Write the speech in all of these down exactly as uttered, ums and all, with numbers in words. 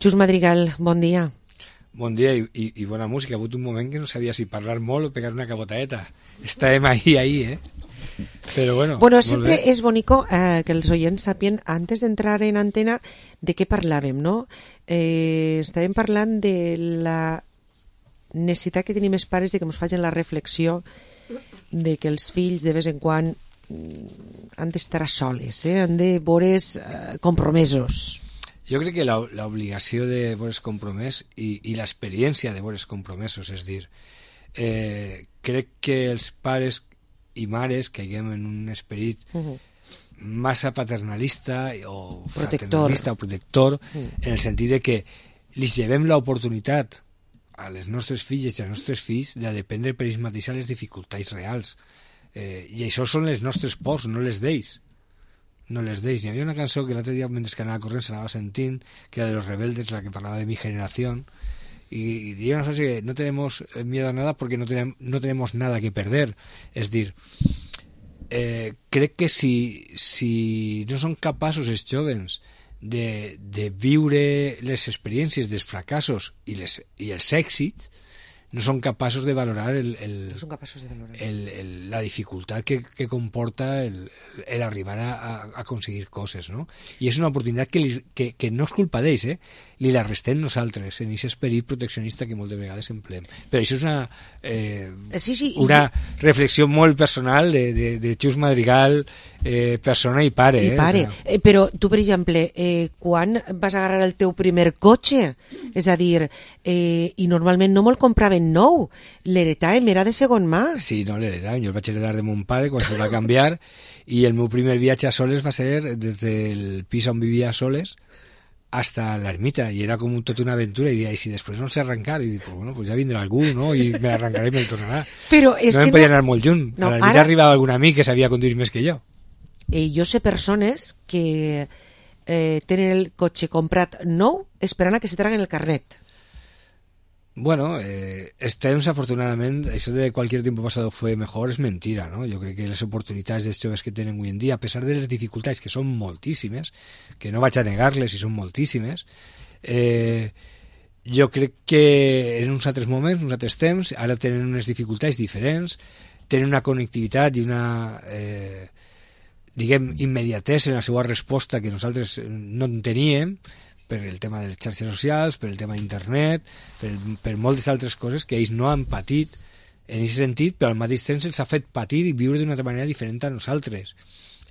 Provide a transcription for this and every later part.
Xus Madrigal, bon dia. Bon dia i, i, i bona música. Ha hagut un moment que no sabia si parlar molt o pegar una cabotaeta. Estàvem ahí, ahí, eh? Pero bueno, bueno, siempre es bonito eh, que els oients sapien, antes d'entrar en antena, de què parlàvem, no? Eh, estàvem parlant de la necessitat que tenim els pares de que ens facin la reflexió de que els fills de vez en quan han d'estar a soles, eh? Han de veure's eh, compromesos. Jo crec que l'obligació de veure's compromès i, i l'experiència de veure's compromesos, és dir, eh, crec que els pares i mares caiguem en un esperit uh-huh. massa paternalista o fraternalista o protector, uh-huh. en el sentit de que li llevem l'oportunitat a les nostres filles i als nostres fills de dependre per ells mateixos les dificultats reals. Eh, I això són les nostres pors, no les d'ells. No les d'ells. Hi havia una cançó que l'altre dia, mentre que anava corrent, s'anava sentint, que era de Los Rebeldes, la que parlava de mi generación, y, y diría una frase que no tenemos miedo a nada porque no, tenem, no tenemos nada que perder. És dir, eh, crec que si, si no són capaços els jovens de, de viure les experiències dels fracassos i, les, i els èxits, no són capaços de valorar, el, el, no són capaços de valorar. El, el, la dificultat que, que comporta el, el arribar a, a aconseguir coses, no? I és una oportunitat que, li, que, que no és culpa d'ells, eh? Li la restem nosaltres, en aquest esperit proteccionista que moltes vegades empleem. Però això és una, eh, sí, sí, una i... reflexió molt personal de, de, de Xus Madrigal, eh, persona i pare. I pare. Eh? O sea... eh, però tu, per exemple, eh, quan vas agarrar el teu primer cotxe? És a dir, eh, i normalment no me'l compraven nou, l'heretàvem, era de segon mà. Sí, no, l'heretàvem. Jo el vaig heretar de mon pare quan se va canviar i el meu primer viatge a Soles va ser des del pis on vivia a Soles hasta la ermita, y era como toda una aventura, y, y si después no se arrancar, y digo, pues bueno, pues ya vendrá algú, ¿no? Y me arrancaré y me tornarà. Però és no que em podia no... anar molt lluny. No, a l'ermita ara... arribava algun amic que sabia conduir més que jo. Eh, jo sé persones que eh, tenen el cotxe comprat nou esperant a que se traguen el carnet. Bueno, eh, este temps, afortunadament, això de cualquier tiempo pasado fue mejor és mentira, ¿no? Jo crec que les oportunitats dels joves que tenen avui en dia, a pesar de les dificultats, que són moltíssimes, que no vaig a negar-les i són moltíssimes, eh, jo crec que en uns altres moments, uns altres temps, ara tenen unes dificultats diferents, tenen una connectivitat i una, eh, diguem, immediatesa en la seva resposta que nosaltres no en teníem, per el tema de les xarxes socials, per el tema d'internet, per, per moltes altres coses que ells no han patit en aquest sentit, però al mateix temps els ha fet patir i viure d'una altra manera diferent a nosaltres,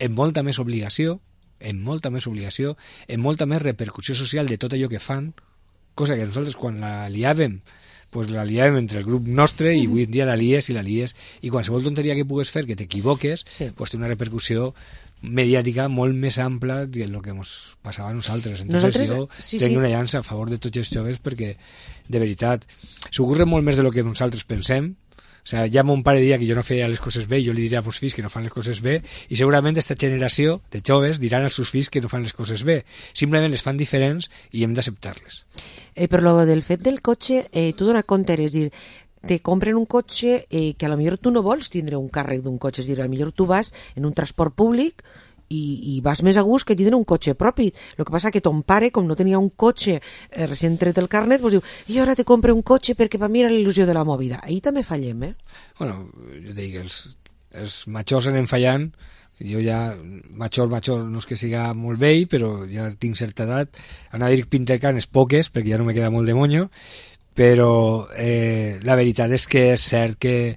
amb molta més obligació, amb molta més obligació, amb molta més repercussió social de tot allò que fan, cosa que nosaltres quan la liàvem, pues la liàvem entre el grup nostre i avui en dia la lies i la lies, i qualsevol tonteria que pugues fer, que t'equivoques, sí. Pues té una repercussió mediàtica molt més ampla del que ens passava a nosaltres. Entonces nosaltres, jo sí, tenc sí. una llança a favor de tots els joves perquè, de veritat, s'ocorre molt més de lo que nosaltres pensem. O sea, ja mon pare diria que jo no feia les coses bé, jo li diria a meus fills que no fan les coses bé, i segurament aquesta generació de joves diran als seus fills que no fan les coses bé. Simplement les fan diferents i hem d'acceptar-les. Eh, però lo del fet del cotxe, eh, tu dona compte, és dir, te compren un cotxe eh, que a lo millor tu no vols tindre un càrrec d'un cotxe, és dir, a lo millor tu vas en un transport públic i, i vas més a gust que tindre un cotxe propi. El que passa que ton pare, com no tenia un cotxe eh, recent tret el carnet, pues diu, i ara te compre un cotxe perquè per mi era l'il·lusió de la movida. Ahí també fallem, eh? Bueno, jo dic, els, els majors anem fallant, jo ja, major, major, no és que siga molt vell, però ja tinc certa edat, anar a dir pintecanes poques, perquè ja no me queda molt de monyo, però eh, la veritat és que és cert que,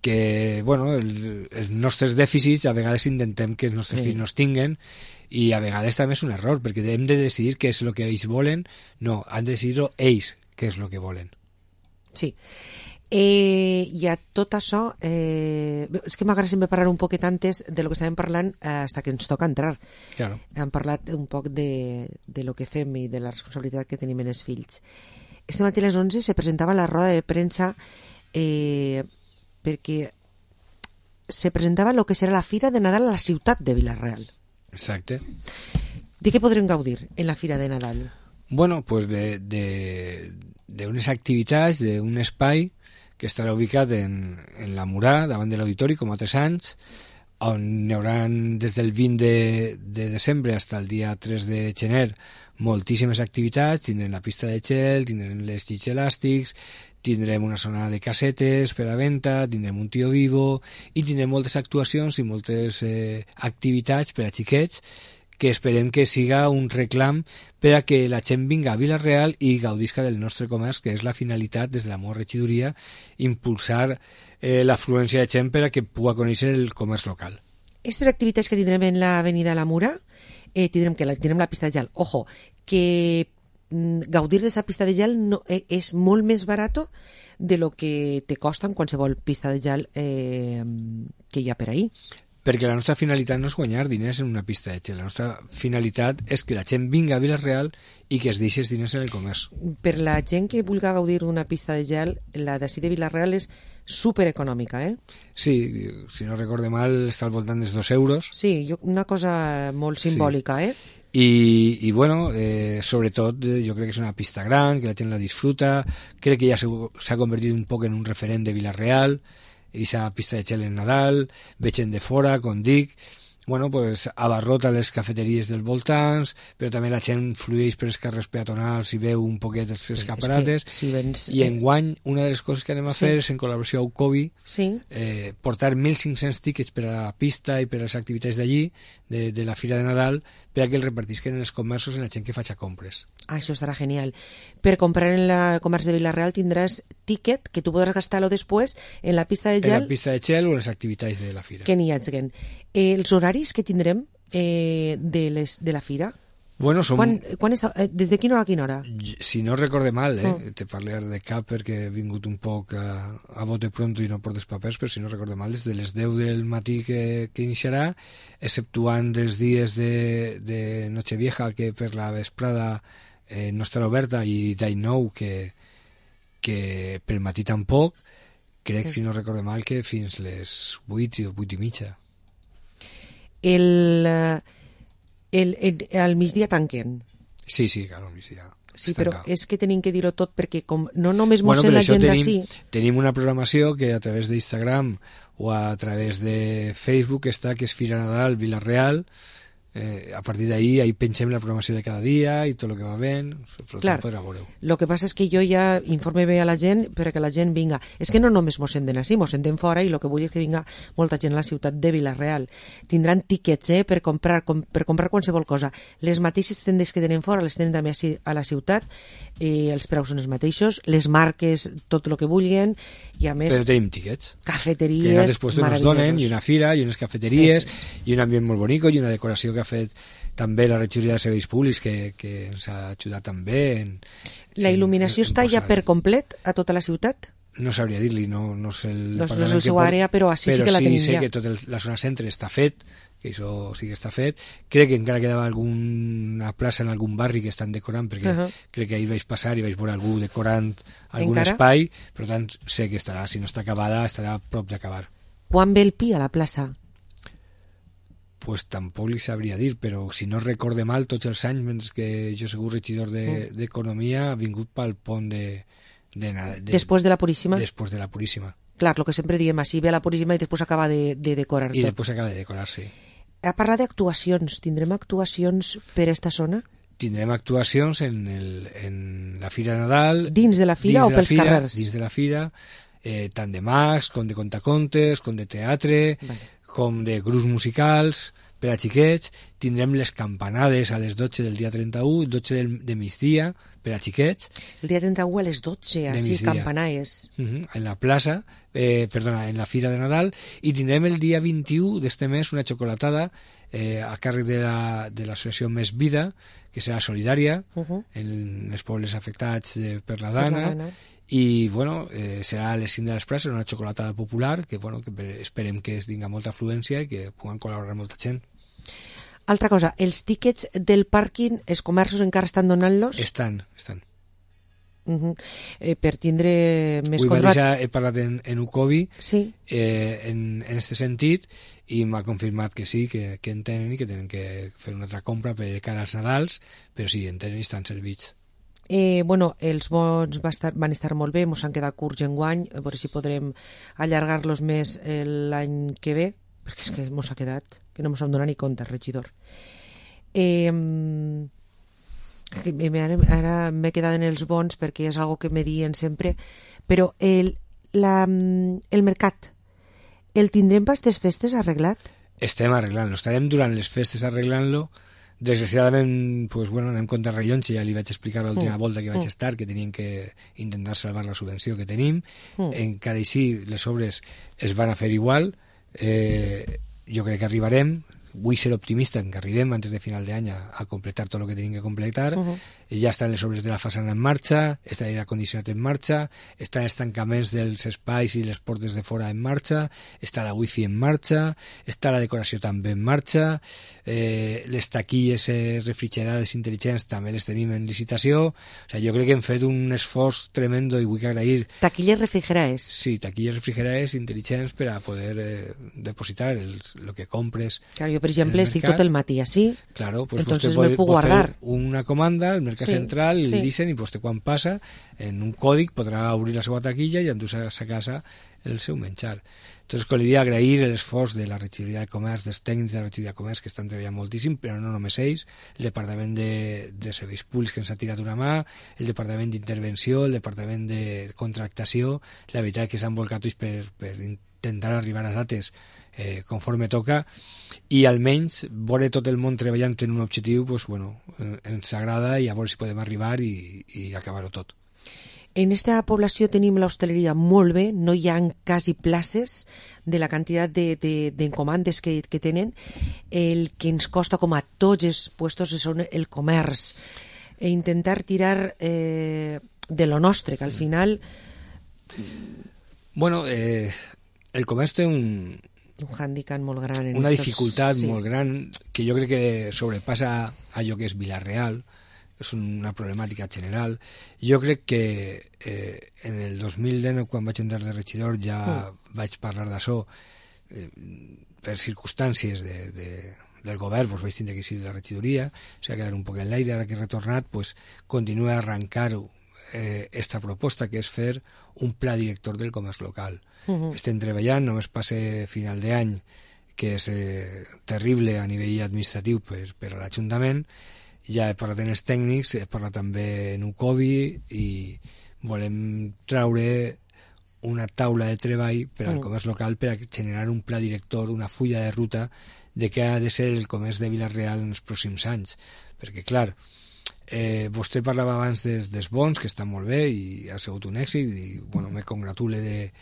que bueno, el, els nostres dèficits a vegades intentem que els nostres sí. fills no es tinguen, i a vegades també és un error, perquè hem de decidir què és el que ells volen. No, han de decidir ells què és el que volen. Sí. Eh, I a tot això, eh, és que m'agrada sempre parlar un poquet antes de lo que estàvem parlant eh, hasta que ens toca entrar. Claro. Hem parlat un poc de, de lo que fem i de la responsabilitat que tenim en els fills. Este matí a les onze se presentava la roda de premsa eh, perquè se presentava el que serà la Fira de Nadal a la ciutat de Vila-real. Exacte. De què podrem gaudir en la Fira de Nadal? Bueno, pues de, de, de unes activitats, d'un espai que estarà ubicat en, en la Murà, davant de l'auditori, com altres anys, on hi haurà des del vint de, de desembre fins al dia tres de gener moltíssimes activitats. Tindrem la pista de gel, tindrem les llits elàstics, tindrem una zona de casetes per a venda, tindrem un tio vivo i tindrem moltes actuacions i moltes eh, activitats per a xiquets que esperem que siga un reclam per a que la gent vinga a Vila-real i gaudisca del nostre comerç, que és la finalitat des de la meva regidoria, impulsar eh, l'afluència de gent per a que pugui conèixer el comerç local. Aquestes activitats que tindrem en l'avenida La Mura, eh, tindrem que la, tindrem la pista de gel. Ojo, que mm, gaudir de esa pista de gel no, eh, és molt més barato de lo que te costa en qualsevol pista de gel eh, que hi ha per ahí. Perquè la nostra finalitat no és guanyar diners en una pista de gel. La nostra finalitat és que la gent vinga a Vila-real i que es deixi els diners en el comerç. Per la gent que vulgui gaudir d'una pista de gel, la d'ací de Vila-real és supereconòmica, eh? Sí, si no recorde mal, està al voltant dels dos euros. Sí, jo, una cosa molt simbòlica, sí. eh? I, i bueno, eh, sobretot eh, jo crec que és una pista gran, que la gent la disfruta, crec que ja s'ha convertit un poc en un referent de Vila-real, i esa pista de gel en Nadal, veig gent de fora, com dic, bueno, pues abarrota les cafeteries dels voltants, però també la gent flueix per els carrers peatonals i veu un poquet els escaparates, sí, si vens, i enguany una de les coses que anem a sí. fer és en col·laboració amb Ucovi, sí. eh, portar mil cinc-cents tickets per a la pista i per a les activitats d'allí, de, de la Fira de Nadal, per a que el repartisquen en els comerços en la gent que faci compres. Ah, això estarà genial. Per comprar en el comerç de Vila-real tindràs ticket que tu podràs gastar-lo després en la pista de gel. En la pista de gel o en les activitats de la Fira. Que n'hi hagin. Eh, els horaris que tindrem eh, de, les, de la Fira? Bueno, som... Quan, quan està, eh, des de quina hora a quina hora? Si no recorde mal, eh? Oh. Te parlaré de cap perquè he vingut un poc a, a bote pronto i no portes papers, però si no recorde mal, des de les deu del matí que, que iniciarà, exceptuant dels dies de, de Nochevieja, que per la vesprada eh, no estarà oberta, i d'ahir nou, que, que pel matí tampoc, crec, sí. Si no recorde mal, que fins les vuit o vuit i mitja. El... El, el, al migdia tanquen. Sí, sí, claro, al migdia. Sí, però tancat. És que tenim que dir-ho tot perquè com no només mos bueno, sent la gent d'ací. Tenim una programació que a través d'Instagram o a través de Facebook està, que és Fira Nadal Vila-real. Eh, a partir d'ahí ahí pensem la programació de cada dia i tot el que va ben, clar, el que passa és que jo ja informe bé a la gent perquè la gent vinga, és que no només mos senten així, mos senten fora, i el que vull és que vinga molta gent a la ciutat de Vila-real. Tindran tiquets eh, per, comprar, com, per comprar qualsevol cosa. Les mateixes tendes que tenen fora les tenen també a la ciutat, eh, els preus són els mateixos, les marques tot el que vulguin, i a més però tenim tiquets cafeteries que nosaltres pues, nos donen, i una fira, i unes cafeteries, es, es. i un ambient molt bonic, i una decoració que ha fet també la regidoria de serveis públics que, que ens ha ajudat també en, la il·luminació en, en està ja per complet a tota la ciutat? No sabria dir-li, no, no sé el no, no és el seu àrea, però així però sí que la tenim sí sé ja. Que tota la zona centre està fet, que això sí que està fet. Crec que encara quedava alguna plaça en algun barri que estan decorant, perquè uh -huh. crec que ahir vaig passar i vaig veure algú decorant algun encara? espai, per tant sé que estarà, si no està acabada estarà a prop d'acabar. Quan ve el Pi a la plaça? Pues tampoc li sabria dir, però si no recorde mal, tots els anys, mentre que jo sigut regidor d'Economia, de, ha vingut pel pont de, de, de... Després de la Puríssima? Després de la Puríssima. Clar, el que sempre diem, així ve la Puríssima i després acaba de, de decorar I tot. després acaba de decorar, sí. A parlar d'actuacions, tindrem actuacions per esta zona? Tindrem actuacions en, el, en la Fira Nadal. Dins de la Fira o pels fira, carrers? Dins de la Fira, eh, tant de mags, com de contacontes, com de teatre... Vale. Com de grups musicals per a xiquets. Tindrem les campanades a les dotze del dia trenta-u, dotze del, de migdia per a xiquets. El dia trenta-u a les dotze, així, campanades. Uh -huh, en la plaça, eh, perdona, en la Fira de Nadal, i tindrem el dia vint-i-u d'este mes una xocolatada eh, a càrrec de la, de l'associació Més Vida, que serà solidària uh -huh. en els pobles afectats de, per la Dana, per la Dana. I bueno, eh, serà a les cinc de les places una xocolatada popular que, bueno, que esperem que es tinga molta afluència i que puguen col·laborar molta gent. Altra cosa, els tíquets del pàrquing, els comerços encara estan donant-los? Estan, estan. Uh -huh. eh, per tindre més controlat. Mateixa he parlat en, en Ucovi sí. eh, en, en este sentit i m'ha confirmat que sí, que, que en tenen i que tenen que fer una altra compra per cara als Nadals, però sí, en tenen i estan servits. Eh, bueno, els bons va estar, van estar molt bé, ens han quedat curts enguany, a veure si podrem allargar-los més l'any que ve, perquè és que mos ha quedat, que no mos hem donat ni compte, regidor. Eh, ara ara m'he quedat en els bons perquè és algo que me diuen sempre, però el, la, el mercat, el tindrem per aquestes festes arreglat? Estem arreglant-lo, estarem durant les festes arreglant-lo. Desgraciadament, pues, bueno, anem contra rellons, ja li vaig explicar l'última mm. volta que vaig mm. estar, que tenien que intentar salvar la subvenció que tenim. Mm. Encara així, les obres es van a fer igual. Eh, jo crec que arribarem. Vull ser optimista en que arribem antes de final d'any a, a completar tot el que tenim que completar. Uh -huh. Ja estan les obres de la façana en marxa, està l'aire condicionat en marxa, estan els tancaments dels espais i les portes de fora en marxa, està la wifi en marxa, està la decoració també en marxa, eh, les taquilles eh, refrigerades intel·ligents també les tenim en licitació. O sigui, jo crec que hem fet un esforç tremendo i vull agrair... Taquilles refrigerades? Sí, taquilles refrigerades intel·ligents per a poder eh, depositar el, el que compres. Claro, yo, por ejemplo, estic tot el matí así, claro, pues entonces puede, me puedo guardar una comanda al mercat sí, central, sí. li dicen i pues, quan passa, en un còdic podrà obrir la seva taquilla i endur-se a casa el seu menjar. Entonces, volia agrair l'esforç de la regidoria de comerç, dels tècnics de la regidoria de comerç, que estan treballant moltíssim, però no només ells, el departament de, de serveis públics que ens ha tirat una mà, el departament d'intervenció, el departament de contractació, la veritat que s'han volcat ulls per, per intentar arribar a dates eh, conforme toca, i almenys veure tot el món treballant en un objectiu, pues, bueno, ens agrada, i a veure si podem arribar i, i acabar-ho tot. En esta població tenim l'hostaleria molt bé, no hi ha quasi places de la quantitat d'encomandes de, de, que, que tenen. El que ens costa com a tots els puestos és el comerç. E intentar tirar eh, de lo nostre, que al final... Bueno, eh, el comerç té un... un hàndicap molt gran. En una estos... dificultat sí. molt gran que jo crec que sobrepassa allò que és Vila-real. És una problemàtica general. Jo crec que eh, en el dos mil dinou, quan vaig entrar de regidor, ja mm. vaig parlar d'això. Eh, per circumstàncies de, de, del govern, doncs vaig tindre que ir de la regidoria, s'ha quedat un poc en l'aire, ara que he retornat, pues, continua a arrencar-ho eh, esta proposta, que és fer un pla director del comerç local. Mm-hmm. Estem treballant, només passe final d'any, que és eh, terrible a nivell administratiu per, per a l'Ajuntament. Ja he parlat amb els tècnics, he parlat també en UCOBI i volem traure una taula de treball per al comerç local per a generar un pla director, una fulla de ruta de què ha de ser el comerç de Vila-real en els pròxims anys. Perquè, clar, eh, vostè parlava abans des, dels bons, que està molt bé i ha sigut un èxit, i bueno, me congratule de,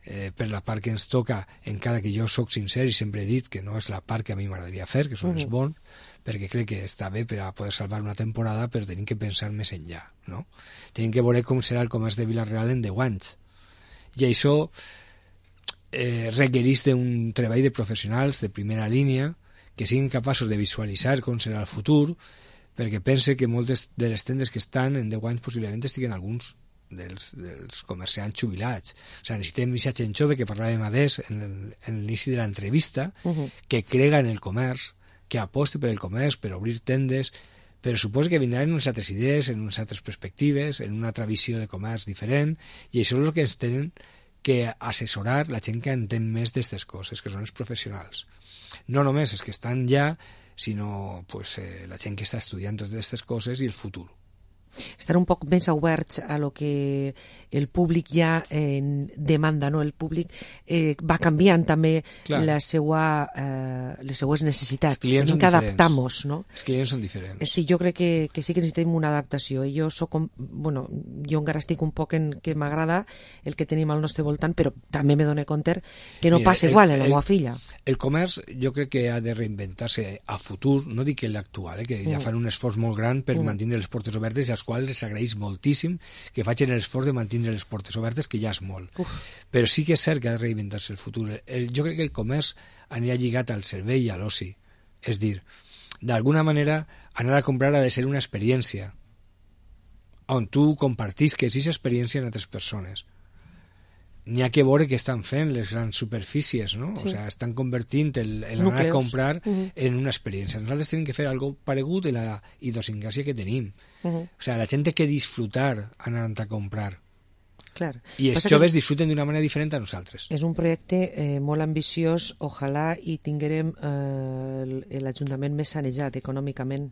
eh, per la part que ens toca, encara que jo sóc sincer i sempre he dit que no és la part que a mi m'agradaria fer, que són uh-huh. els bons, perquè crec que està bé per a poder salvar una temporada, però tenim que pensar més enllà, no? Tenim que veure com serà el comerç de Vila-real en deu anys. I això eh, requereix d'un treball de professionals de primera línia que siguin capaços de visualitzar com serà el futur, perquè pense que moltes de les tendes que estan en deu anys possiblement estiguen alguns dels, dels comerciants jubilats. O sigui, necessitem aquesta gent jove que parlàvem adés en, el, en l'inici de l'entrevista, uh-huh. que crega en el comerç, que aposti per el comerç, per obrir tendes, però suposa que vindran unes altres idees, en unes altres perspectives, en una altra visió de comerç diferent, i això és el que ens tenen que assessorar la gent que entén més d'aquestes coses, que són els professionals. No només els que estan ja, sinó pues, eh, la gent que està estudiant totes aquestes coses i el futur. Estar un poc més oberts a lo que el públic ja eh, demanda, no? El públic eh, va canviant també la seua, eh, les seues necessitats. Tenim que adaptar-nos, no? Els clients són diferents. Sí, jo crec que, que sí que necessitem una adaptació. I jo soc, bueno, jo encara estic un poc en que m'agrada el que tenim al nostre voltant, però també me dono compte que no Mira, passa el, igual a la meva filla. El comerç jo crec que ha de reinventar-se a futur, no dic que l'actual, eh, que ja fan un esforç molt gran per mm. mantenir les portes obertes, i als quals les agraeix moltíssim que facin l'esforç de mantenir les portes obertes, que ja és molt. Uf. Però sí que és cert que ha de reinventar-se el futur. El, jo crec que el comerç anirà lligat al servei i a l'oci. És dir, d'alguna manera, anar a comprar ha de ser una experiència on tu compartisques aquesta experiència amb altres persones. N'hi ha que veure què estan fent les grans superfícies, no? Sí. O sigui, estan convertint el, el anar a comprar uh-huh. en una experiència. Nosaltres tenim que fer algo paregut de la idiosincràsia que tenim. Uh-huh. O sigui, la gent té que disfrutar anant a comprar. Clar. I els Passa que joves és- disfruten d'una manera diferent a nosaltres. És un projecte eh, molt ambiciós, ojalà i tinguérem eh, el- l'Ajuntament més sanejat econòmicament.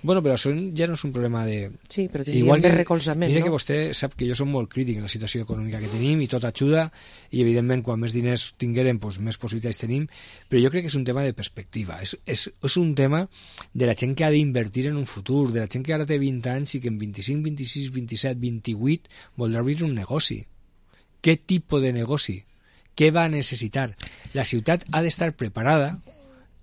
Bueno, però això ja no és un problema de... Sí, però tindríem més que, recolzament, mira no? que vostè sap que jo som molt crític en la situació econòmica que tenim i tot ajuda, i evidentment quan més diners tinguérem doncs, més possibilitats tenim, però jo crec que és un tema de perspectiva, és, és, és un tema de la gent que ha d'invertir en un futur, de la gent que ara té vint anys i que en vint-i-cinc, vint-i-sis, vint-i-set, vint-i-vuit voldrà obrir un negoci. Què tipus de negoci? Què va necessitar? La ciutat ha d'estar preparada,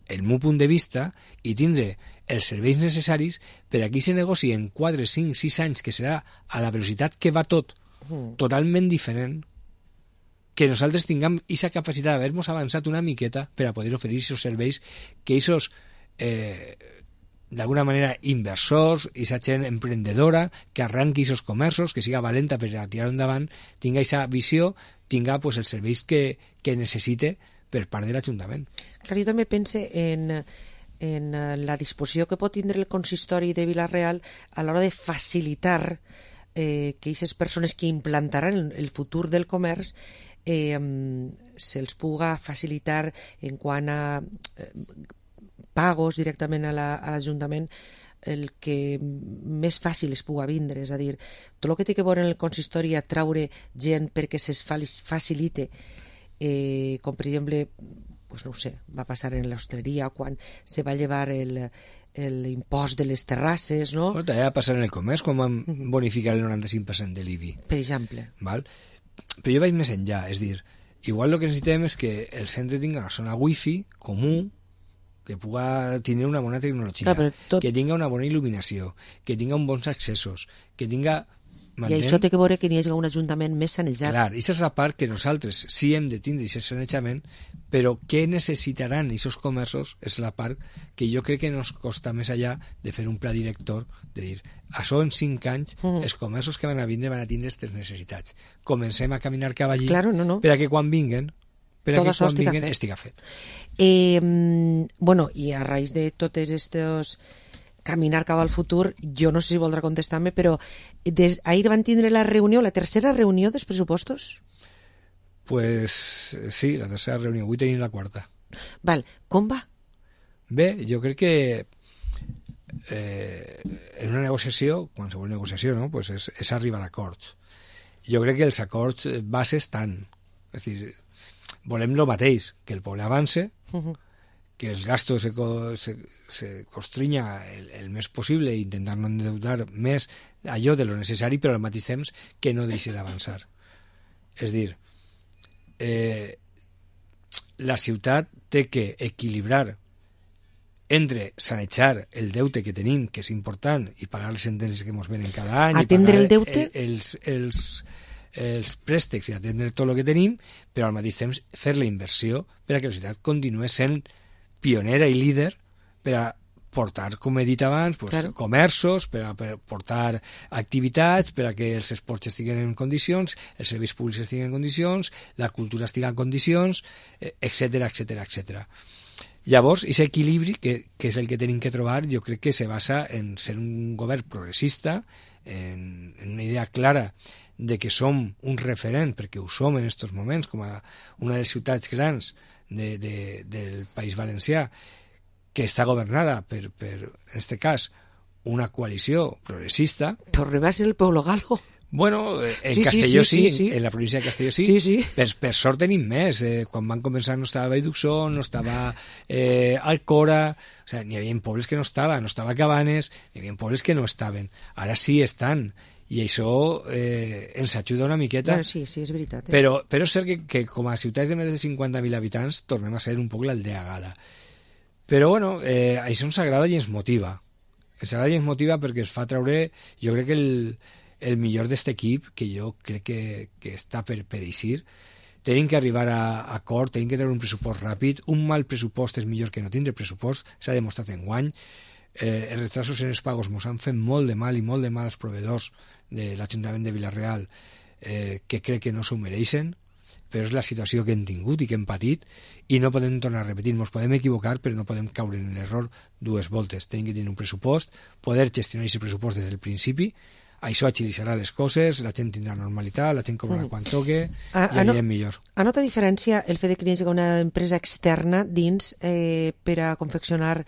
el meu punt de vista, i tindre els serveis necessaris per a que aquest negoci en quatre, cinc, sis anys, que serà a la velocitat que va tot, totalment diferent, que nosaltres tinguem aquesta capacitat d'haver-nos avançat una miqueta per a poder oferir aquests serveis que aquests, eh, d'alguna manera, inversors, aquesta gent emprendedora, que arranqui aquests comerços, que siga valenta per a tirar endavant, tinga aquesta visió, tinga pues, els serveis que, que necessite per part de l'Ajuntament. Clar, jo també pense en, en la disposició que pot tindre el consistori de Vila-real a l'hora de facilitar eh, que aquestes persones que implantaran el futur del comerç eh, se'ls puga facilitar en quant a eh, pagos directament a l'Ajuntament el que més fàcil es puga vindre, és a dir, tot el que té que veure en el consistori a traure gent perquè se'ls facilite, eh, com per exemple, pues no ho sé, va passar en l'hostaleria quan se va llevar el, l'impost de les terrasses, no? Bueno, també va passar en el comerç quan van bonificar el noranta-cinc per cent de l'I B I. Per exemple. Val? Però jo vaig més enllà, és dir, igual el que necessitem és que el centre tingui una zona wifi comú, que puga tenir una bona tecnologia, Clar, tot... que tinga una bona il·luminació, que tinga uns bons accessos, que tinga... Mantén... I això té que veure que n'hi hagi un ajuntament més sanejat. Clar, aquesta és la part que nosaltres sí hem de tindre aquest sanejament, però què necessitaran aquests comerços és la part que jo crec que nos costa més allà de fer un pla director, de dir, això en cinc anys, mm. els comerços que van a vindre van a tindre aquestes necessitats. Comencem a caminar cap allí claro, no, no. per a que quan vinguen per a Tot que quan estiga vinguen fet. estiga fet. Eh, bueno, i a raïs de totes estos caminar cap al futur, jo no sé si voldrà contestar-me, però des, ahir van tindre la reunió, la tercera reunió dels pressupostos? Pues sí, la tercera reunió, avui tenim la quarta. Val, com va? Bé, jo crec que eh, en una negociació, qualsevol negociació, no? Pues és, és arribar a acords. Jo crec que els acords bases estan. És dir, volem el mateix, que el poble avance, uh-huh. que els gastos se, se, se constrinya el, el més possible i intentar no endeudar més allò de lo necessari, però al mateix temps que no deixi d'avançar. És dir, eh, la ciutat té que equilibrar entre sanejar el deute que tenim, que és important, i pagar les sentències que ens venen cada any, atendre i pagar el deute? els, els, els préstecs i atendre tot el que tenim, però al mateix temps fer la inversió per a que la ciutat continuï sent pionera i líder per a portar, com he dit abans, pues, claro. comerços, per a per portar activitats, per a que els esports estiguen en condicions, els serveis públics estiguen en condicions, la cultura estigui en condicions, etcètera, etcètera, etcètera. Llavors, aquest equilibri, que, que és el que tenim que trobar, jo crec que se basa en ser un govern progressista, en, en una idea clara de que som un referent, perquè ho som en aquests moments, com a una de les ciutats grans de, de, del País Valencià, que està governada per, per en aquest cas, una coalició progressista. Però arriba a ser el Pueblo Galo. Bueno, en sí, Castelló sí, sí, sí, sí, en la província de Castelló sí, sí, sí. Per, per sort tenim més. Eh, quan van començar no estava Vallduxó, no estava eh, Alcora, o sea, n'hi havia pobles que no estava, no estava Cabanes, n'hi havia pobles que no estaven. Ara sí estan, i això eh, ens ajuda una miqueta. Bueno, sí, sí, és veritat. Eh? Però, però és cert que, que com a ciutats de més de cinquanta mil habitants tornem a ser un poc l'aldea Gala. Però bueno, eh, això ens agrada i ens motiva. Ens agrada i ens motiva perquè ens fa treure, jo crec que el, el millor d'aquest equip, que jo crec que, que està per, per eixir. Tenim que arribar a, a acord, tenim que treure un pressupost ràpid. Un mal pressupost és millor que no tindre pressupost, s'ha demostrat enguany. Eh, els retrasos en els pagos ens han fet molt de mal i molt de mal als proveïdors de l'Ajuntament de Vila-real, eh, que crec que no s'ho mereixen, però és la situació que hem tingut i que hem patit, i no podem tornar a repetir. Ens podem equivocar, però no podem caure en l'error dues voltes. Tenim que tenir un pressupost, poder gestionar aquest pressupost des del principi, això agilitzarà les coses, la gent tindrà normalitat, la gent cobrarà mm. quan toque a, i anirem no, millor. A nota diferència el fet de que hi hagi una empresa externa dins eh, per a confeccionar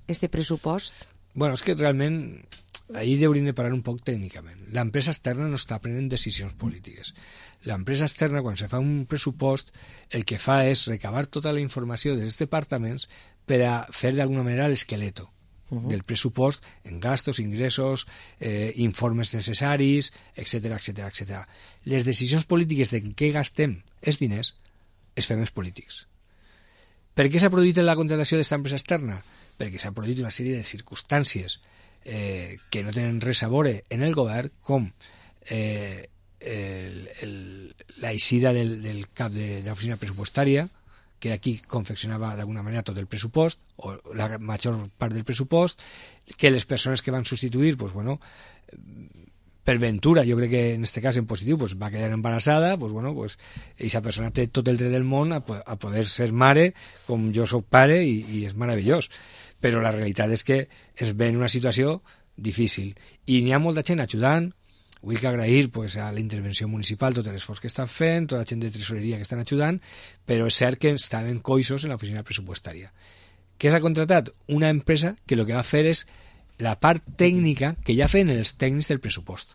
este pressupost? Bueno, és que realment ahir hauríem de parar un poc tècnicament. L'empresa externa no està prenent decisions polítiques. L'empresa externa, quan se fa un pressupost, el que fa és recabar tota la informació dels departaments per a fer d'alguna manera l'esqueleto Uh -huh. del pressupost en gastos, ingressos, eh, informes necessaris, etcètera, etcètera, etcètera. Les decisions polítiques de què gastem els diners es fem els polítics. Per què s'ha produït la contractació d'esta empresa externa? Perquè s'ha produït una sèrie de circumstàncies eh, que no tenen res a veure en el govern, com eh, el, el, la eixida del, del cap de, de l'oficina pressupostària, que era qui confeccionava d'alguna manera tot el pressupost, o la major part del pressupost, que les persones que van substituir, pues bueno, per ventura, jo crec que en este cas en positiu, pues va quedar embarassada, pues bueno, pues aquesta persona té tot el dret del món a, a poder ser mare, com jo soc pare, i, i és meravellós. Però la realitat és que es ve en una situació difícil. I n'hi ha molta gent ajudant. Vull que agrair pues, a la intervenció municipal tot l'esforç que estan fent, tota la gent de tresoreria que estan ajudant, però és cert que estaven coixos en l'oficina pressupostària. Què s'ha contratat? Una empresa que el que va fer és la part tècnica que ja feien els tècnics del pressupost,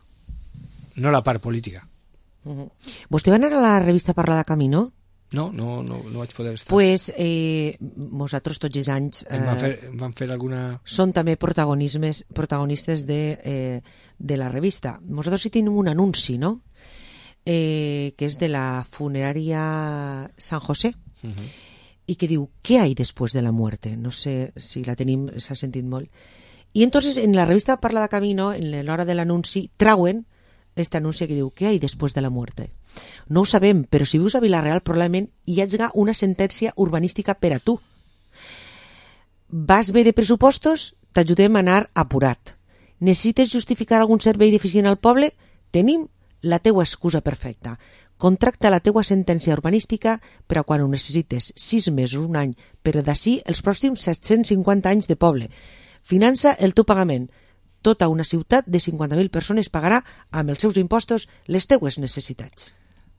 no la part política. Uh-huh. Vostè va anar a la revista Parla de Camí, no? No, no, no, no vaig poder estar. Pues eh, nosaltres tots els anys eh, van, fer, van fer alguna... són també protagonismes, protagonistes de, eh, de la revista. Nosaltres sí tenim un anunci, no? Eh, que és de la funerària San José uh-huh. i que diu, ¿qué hay después de la muerte? No sé si la tenim, s'ha sentit molt. I entonces en la revista Parla de Camí, no? En l'hora de l'anunci, trauen este anunci que diu, ¿qué hay después de la muerte? No ho sabem, però si vius a Vila-real probablement hi hagi una sentència urbanística per a tu. Vas bé de pressupostos? T'ajudem a anar apurat. Necessites justificar algun servei deficient al poble? Tenim la teua excusa perfecta. Contracta la teua sentència urbanística per a quan ho necessites, sis mesos, un any, però d'ací els pròxims set-cents cinquanta anys de poble. Finança el teu pagament. Tota una ciutat de cinquanta mil persones pagarà amb els seus impostos les teues necessitats.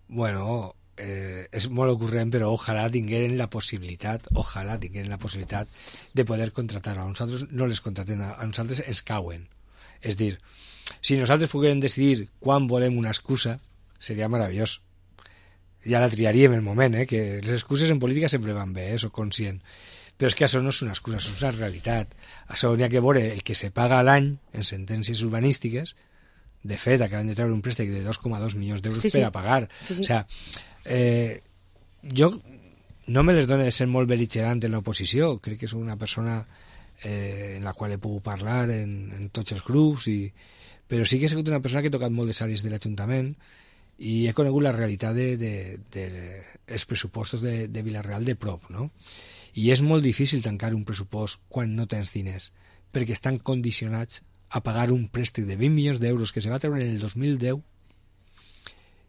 Bueno, eh, és molt ocurrent, però ojalà tingueren la possibilitat, ojalà tingueren la possibilitat de poder contratar. A nosaltres no les contraten, a nosaltres ens cauen. És dir, si nosaltres poguérem decidir quan volem una excusa, seria meravellós. Ja la triaríem el moment, eh? Que les excuses en política sempre van bé, eh? Soc conscient. Però és que això no és una excusa, això és una realitat. Això n'hi ha que veure el que se paga a l'any en sentències urbanístiques. De fet, acaben de treure un préstec de dos coma dos milions d'euros sí, sí. per a pagar. Sí, sí. O sea, eh, jo no me les dono de ser molt bel·ligerant en l'oposició. Crec que soc una persona eh, en la qual he pogut parlar en, en tots els grups, i, però sí que he sigut una persona que he tocat molt de àrees de l'Ajuntament i he conegut la realitat de, de, de, de els pressupostos de, de Vila-real de prop, no? I és molt difícil tancar un pressupost quan no tens diners, perquè estan condicionats a pagar un préstec de vint milions d'euros que se va treure en el dos mil deu,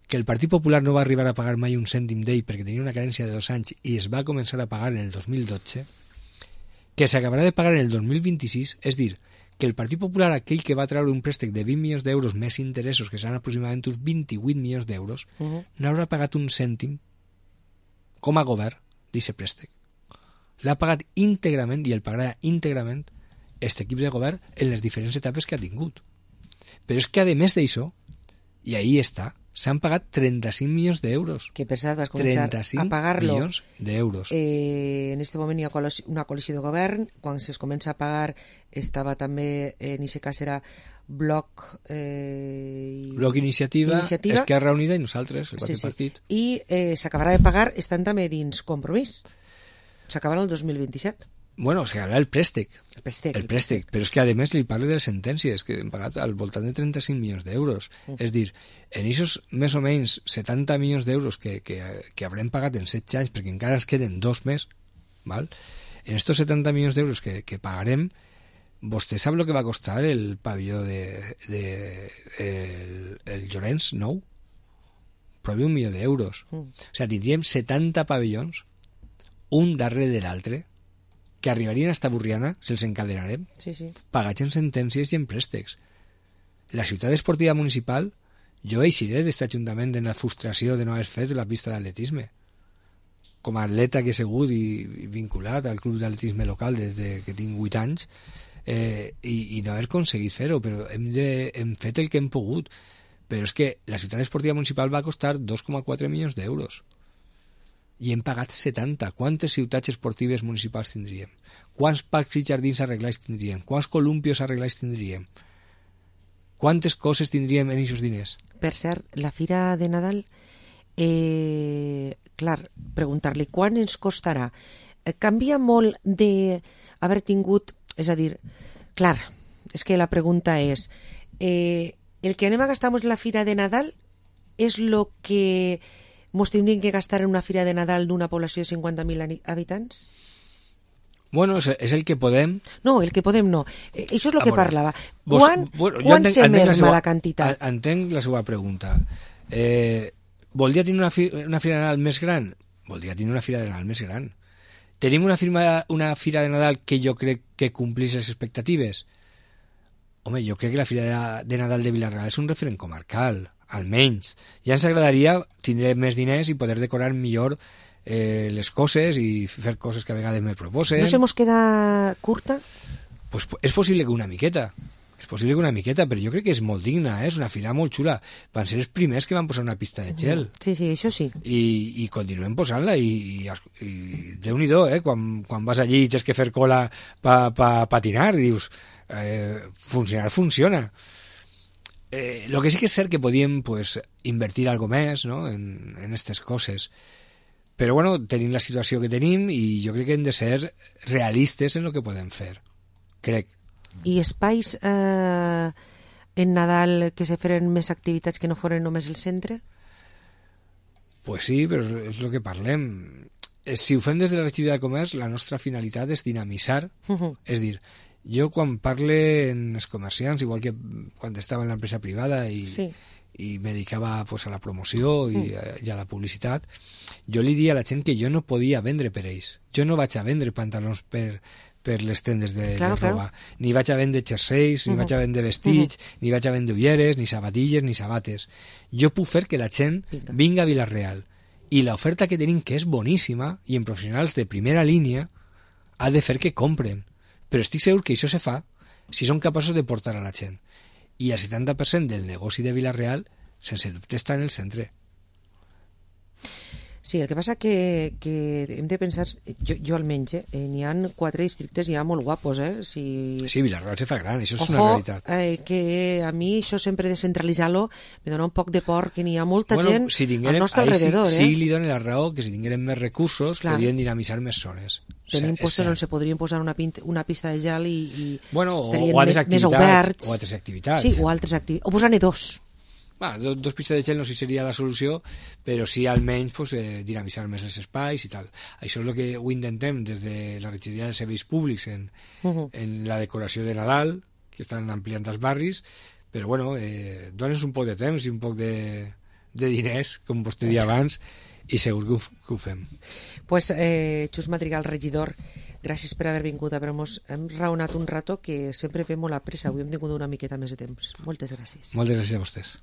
que el Partit Popular no va arribar a pagar mai un cèntim d'ell perquè tenia una carència de dos anys i es va començar a pagar en el dos mil dotze, que s'acabarà de pagar en el dos mil vint-i-sis, és dir, que el Partit Popular, aquell que va treure un préstec de vint milions d'euros més interessos, que seran aproximadament uns vint-i-vuit milions d'euros, uh-huh. no haurà pagat un cèntim com a govern d'aquest préstec. L'ha pagat íntegrament i el pagarà íntegrament aquest equip de govern en les diferents etapes que ha tingut. Però és que, a més d'això, i ahí està, s'han pagat trenta-cinc milions d'euros. Que per cert vas començar a pagar-lo. milions d'euros. Eh, en aquest moment hi ha una coalició de govern. Quan es comença a pagar estava també, en aquest cas era Bloc... Eh, Bloc Iniciativa, Iniciativa, Esquerra Unida i nosaltres, el sí, sí. partit. I eh, s'acabarà de pagar, estan també dins Compromís. S'acabarà el dos mil vint-i-set. Bueno, s'acabarà el préstec. El préstec. El préstec. Però és que, a més, li parlo de les sentències, que han pagat al voltant de trenta-cinc milions d'euros. Mm. És dir, en aquests més o menys setanta milions d'euros que, que, que haurem pagat en set anys, perquè encara ens queden dos més, val? En estos setanta milions d'euros que, que pagarem, vostè sap el que va costar el pavelló de, de el, el Llorenç nou? Prop d'un milió d'euros. Mm. O sigui, tindríem setanta pavellons, un darrere de l'altre, que arribarien a esta Burriana, se'ls encadenarem, sí, sí. pagats en sentències i en préstecs. La ciutat esportiva municipal, jo eixiré d'aquest ajuntament en la frustració de no haver fet la pista d'atletisme. Com a atleta que he sigut i, i vinculat al club d'atletisme local des de que tinc vuit anys, eh, i, i no haver aconseguit fer-ho, però hem, de, hem fet el que hem pogut. Però és que la ciutat esportiva municipal va costar dos coma quatre milions d'euros i hem pagat setanta. Quantes ciutats esportives municipals tindríem? Quants parcs i jardins arreglats tindríem? Quants columpios arreglats tindríem? Quantes coses tindríem en aquests diners? Per cert, la fira de Nadal, eh, clar, preguntar-li quan ens costarà. Eh, canvia molt d'haver tingut, és a dir, clar, és que la pregunta és, eh, el que anem a gastar en la fira de Nadal és el que mos tindríem que gastar en una fira de Nadal d'una població de cinquanta mil habitants? Bueno, és, és el que podem. No, el que podem no. Eh, això és el a que veure, parlava. Vos, Quan, bueno, quan entenc, se entenc merma la, seva, la quantitat? Entenc la seva pregunta. Eh, voldria tenir una, fi, una fira de Nadal més gran? Voldria tenir una fira de Nadal més gran. Tenim una, firma, una fira de Nadal que jo crec que complís les expectatives? Home, jo crec que la fira de, de Nadal de Vila-real és un referent comarcal, almenys. Ja ens agradaria tindre més diners i poder decorar millor eh, les coses i fer coses que a vegades me proposen. No se mos queda curta? Pues és possible que una miqueta. És possible que una miqueta, però jo crec que és molt digna, eh? És una fira molt xula. Van ser els primers que van posar una pista de gel. Sí, sí, això sí. I, i continuem posant-la i, i, i Déu-n'hi-do, eh? Quan, quan vas allí i tens que fer cola pa, pa patinar, dius, eh, funcionar funciona. Eh, lo que sí que és cert que podíem pues, invertir algo més, no? en, en aquestes coses. Però bueno, tenim la situació que tenim i jo crec que hem de ser realistes en el que podem fer. Crec. I espais eh, en Nadal que se feren més activitats que no foren només el centre? Pues sí, però és el que parlem. Si ho fem des de la regidoria de comerç, la nostra finalitat és dinamitzar. Uh-huh. És dir, jo quan parle en els comerciants, igual que quan estava en l'empresa privada i, sí. i me dedicava pues, a la promoció i, uh. a, i a la publicitat, jo li diria a la gent que jo no podia vendre per ells. Jo no vaig a vendre pantalons per, per les tendes de, claro, de roba. Claro. Ni vaig a vendre jerseis, ni uh -huh. vaig a vendre vestits, uh -huh. ni vaig a vendre ulleres, ni sabatilles, ni sabates. Jo puc fer que la gent vinga a Vila-real. I l'oferta que tenim, que és boníssima, i en professionals de primera línia, ha de fer que compren. Però estic segur que això se fa si són capaços de portar a la gent. I el setanta per cent del negoci de Vila-real, sense dubte, està en el centre. Sí, el que passa que, que hem de pensar, jo, jo almenys, eh, n'hi ha quatre districtes ja molt guapos, eh? Si... Sí, Vila-real se fa gran, això és Ojo, una realitat. Eh, que a mi això sempre descentralitzar-lo me dona un poc de por, que n'hi ha molta bueno, gent si al nostre alrededor. Sí, eh? sí li dona la raó que si tingueren més recursos Clar. podrien dinamitzar més zones. Tenim postes on se podrien posar una, pint, una pista de gel i, i bueno, estarien o altres més, activitats, més oberts. O altres activitats. Sí, o altres activitats. O posar-ne dos. Bueno, dos, dos pistes de gel no sé si seria la solució, però sí almenys pues, eh, dinamitzar més els espais i tal. Això és el que ho intentem des de la regidoria de serveis públics en, uh -huh. en la decoració de Nadal, que estan ampliant els barris, però bueno, eh, dones un poc de temps i un poc de, de diners, com vostè deia abans, i segur que ho, que ho fem. Pues, eh, Xus Madrigal, regidor, gràcies per haver vingut a veure-nos. Hem raonat un rato que sempre fem molt a pressa. Avui hem tingut una miqueta més de temps. Moltes gràcies. Moltes gràcies a vostès.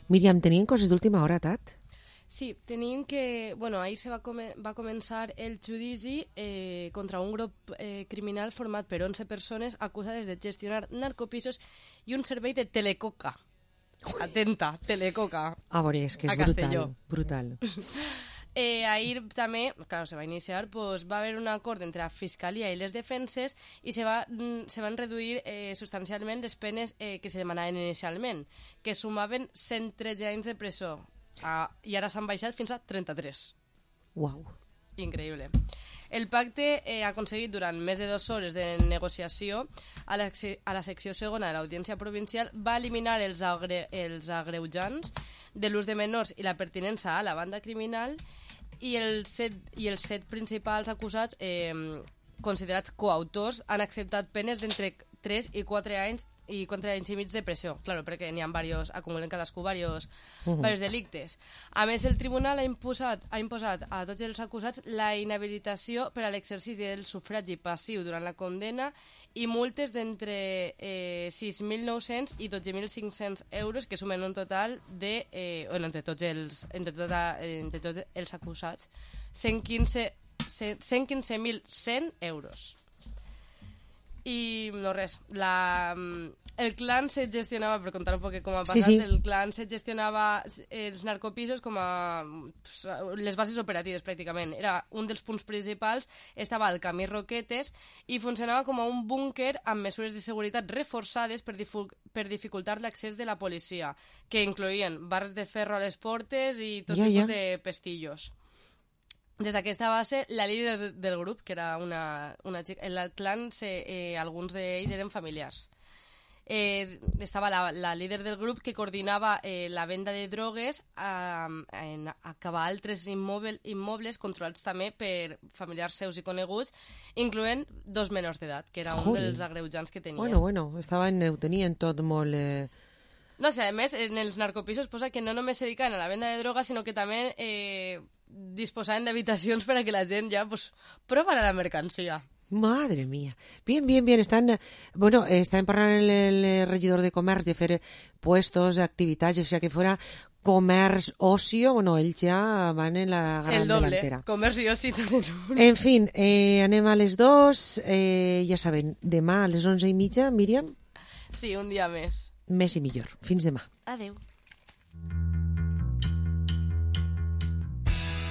Míriam, tenien coses d'última hora, Tat? Sí, tenim que... Bueno, ahir se va, come, va començar el judici eh, contra un grup eh, criminal format per onze persones acusades de gestionar narcopisos i un servei de telecoca. Atenta, telecoca. A veure, és que és brutal. brutal. Eh, ahir també, claro, se va iniciar, pues, va haver un acord entre la Fiscalia i les defenses i se, va, se van reduir eh, substancialment les penes eh, que se demanaven inicialment, que sumaven cent tretze anys de presó ah, i ara s'han baixat fins a trenta-tres. Uau. Increïble. El pacte eh, ha aconseguit durant més de dues hores de negociació a la, a la secció segona de l'Audiència Provincial va eliminar els, agre, els agreujants de l'ús de menors i la pertinença a la banda criminal i els set, i els set principals acusats eh, considerats coautors han acceptat penes d'entre tres i quatre anys i quatre anys i mig de pressió, claro, perquè n'hi ha varios, acumulen cadascú varios, uh -huh. varios delictes. A més, el tribunal ha imposat, ha imposat a tots els acusats la inhabilitació per a l'exercici del sufragi passiu durant la condena i multes d'entre eh, sis mil nou-cents i dotze mil cinc-cents euros, que sumen un total de, eh, bueno, entre tots els, entre tota, entre tots els acusats, cent quinze mil cent euros. I no res, la, el clan se gestionava, per contar un poc com ha passat, sí, sí. el clan se gestionava els narcopisos com a pues, les bases operatives pràcticament. Era un dels punts principals, estava al camí Roquetes i funcionava com a un búnquer amb mesures de seguretat reforçades per, per dificultar l'accés de la policia, que incloïen barres de ferro a les portes i tot ja, tipus ja. de pestillos. Des d'aquesta base, la líder del grup, que era una, una xica, el clan, se, eh, alguns d'ells eren familiars. Eh, estava la, la líder del grup que coordinava eh, la venda de drogues a, en, a acabar altres immobles, immobles controlats també per familiars seus i coneguts, incloent dos menors d'edat, que era un Joder. dels agreujants que tenia. Bueno, bueno, estaven, ho tenien tot molt... Eh... No sé, a més, en els narcopisos posa que no només se dedicaven a la venda de droga, sinó que també eh, disposaven d'habitacions per a que la gent ja pues, provara la mercancía. Madre mía. Bien, bien, bien. Están, bueno, están parlant el, el regidor de comerç de fer puestos, activitats, o sea que fuera comerç, ocio, bueno, ells ja van en la gran el doble, delantera. Comerç i oci. En fin, eh, anem a les dos, eh, ja saben, demà a les onze i mitja, Míriam? Sí, un dia més. Més i millor. Fins demà. Adeu.